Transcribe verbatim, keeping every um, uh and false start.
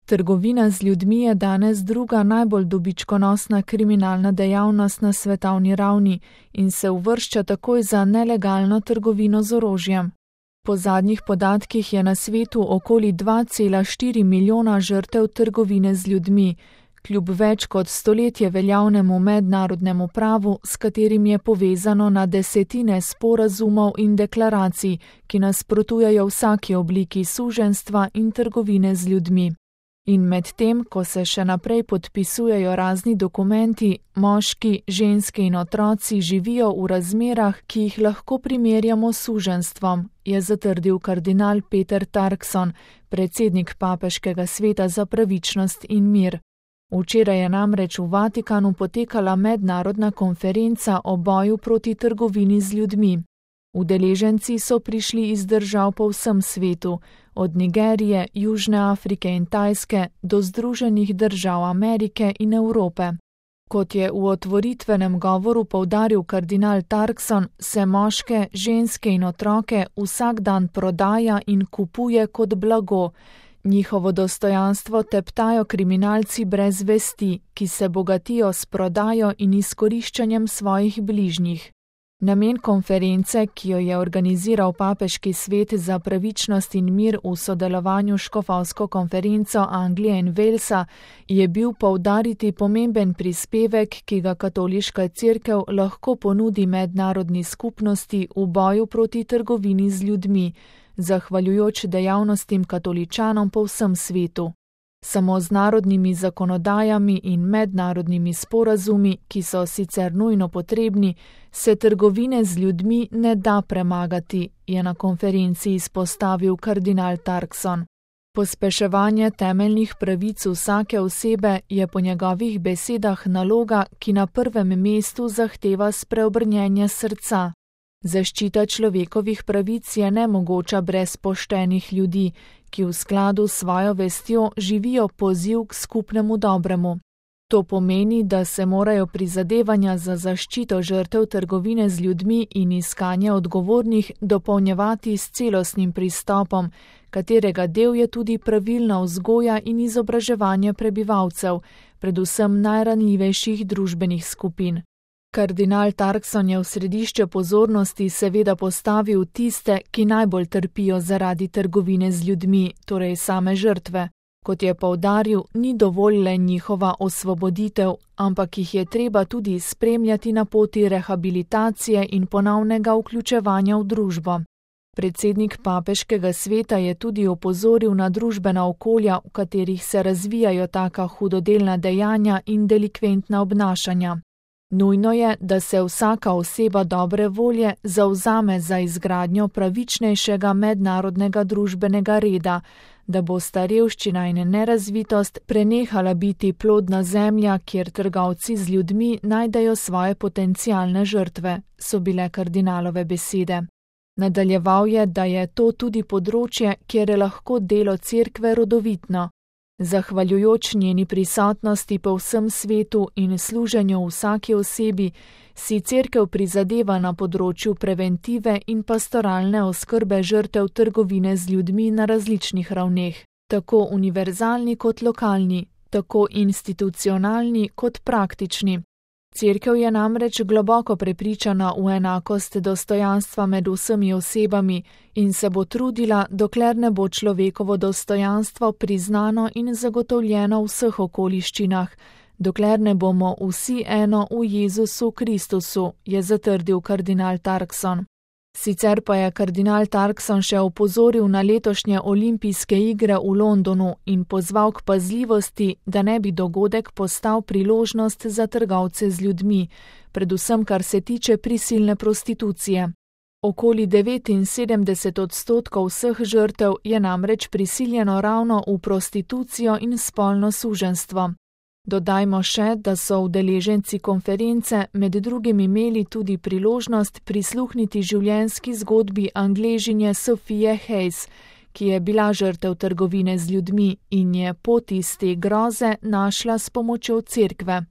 Trgovina z ljudmi je danes druga najbolj dobičkonosna kriminalna dejavnost na svetovni ravni in se uvršča takoj za nelegalno trgovino z orožjem. Po zadnjih podatkih je na svetu okoli dva cela štiri milijona žrtev trgovine z ljudmi, kljub več kot stoletje veljavnemu mednarodnemu pravu, s katerim je povezano na desetine sporazumov in deklaracij, ki nasprotujejo vsaki obliki suženjstva in trgovine z ljudmi. In medtem, ko se še naprej podpisujejo razni dokumenti, moški, ženske in otroci živijo v razmerah, ki jih lahko primerjamo s suženjstvom, je zatrdil kardinal Peter Turkson, predsednik Papeškega sveta za pravičnost in mir. Včeraj je namreč v Vatikanu potekala mednarodna konferenca o boju proti trgovini z ljudmi. Udeleženci so prišli iz držav po vsem svetu, od Nigerije, Južne Afrike in Tajske do Združenih držav Amerike in Evrope. Kot je v otvoritvenem govoru poudaril kardinal Turkson, se moške, ženske in otroke vsak dan prodaja in kupuje kot blago. Njihovo dostojanstvo teptajo kriminalci brez vesti, ki se bogatijo s prodajo in izkoriščanjem svojih bližnjih. Namen konference, ki jo je organiziral Papeški svet za pravičnost in mir v sodelovanju s Škofovsko konferenco Anglije in Walesa, je bil poudariti pomemben prispevek, ki ga katoliška cerkev lahko ponudi mednarodni skupnosti v boju proti trgovini z ljudmi, zahvaljujoč dejavnostim katoličanom po vsem svetu. Samo z narodnimi zakonodajami in mednarodnimi sporazumi, ki so sicer nujno potrebni, se trgovine z ljudmi ne da premagati, je na konferenci izpostavil kardinal Turkson. Pospeševanje temeljnih pravic vsake osebe je po njegovih besedah naloga, ki na prvem mestu zahteva spreobrnjenje srca. Zaščita človekovih pravic je nemogoča brez poštenih ljudi, ki v skladu s svojo vestjo živijo poziv k skupnemu dobremu. To pomeni, da se morajo prizadevanja za zaščito žrtev trgovine z ljudmi in iskanje odgovornih dopolnjevati s celostnim pristopom, katerega del je tudi pravilna vzgoja in izobraževanje prebivalcev, predvsem najranljivejših družbenih skupin. Kardinal Turkson je v središče pozornosti seveda postavil tiste, ki najbolj trpijo zaradi trgovine z ljudmi, torej same žrtve. Kot je poudaril, ni dovolj le njihova osvoboditev, ampak jih je treba tudi spremljati na poti rehabilitacije in ponovnega vključevanja v družbo. Predsednik Papeškega sveta je tudi opozoril na družbena okolja, v katerih se razvijajo taka hudodelna dejanja in delikventna obnašanja. Nujno je, da se vsaka oseba dobre volje zavzame za izgradnjo pravičnejšega mednarodnega družbenega reda, da bo sta revščina in nerazvitost prenehala biti plodna zemlja, kjer trgovci z ljudmi najdejo svoje potencialne žrtve, so bile kardinalove besede. Nadaljeval je, da je to tudi področje, kjer je lahko delo cerkve rodovitno. Zahvaljujoč njeni prisotnosti po vsem svetu in služenju vsaki osebi, si cerkev prizadeva na področju preventive in pastoralne oskrbe žrtev trgovine z ljudmi na različnih ravneh, tako univerzalni kot lokalni, tako institucionalni kot praktični. Cerkev je namreč globoko prepričana v enakost dostojanstva med vsemi osebami in se bo trudila, dokler ne bo človekovo dostojanstvo priznano in zagotovljeno v vseh okoliščinah, dokler ne bomo vsi eno v Jezusu Kristusu, je zatrdil kardinal Turkson. Sicer pa je kardinal Turkson še opozoril na letošnje olimpijske igre v Londonu in pozval k pazljivosti, da ne bi dogodek postal priložnost za trgovce z ljudmi, predvsem kar se tiče prisilne prostitucije. Okoli devetinsedemdeset odstotkov vseh žrtev je namreč prisiljeno ravno v prostitucijo in spolno suženjstvo. Dodajmo še, da so udeleženci konference med drugim imeli tudi priložnost prisluhniti življenjski zgodbi Angležinje Sophie Hayes, ki je bila žrtev trgovine z ljudmi in je pot iz te groze našla s pomočjo cerkve.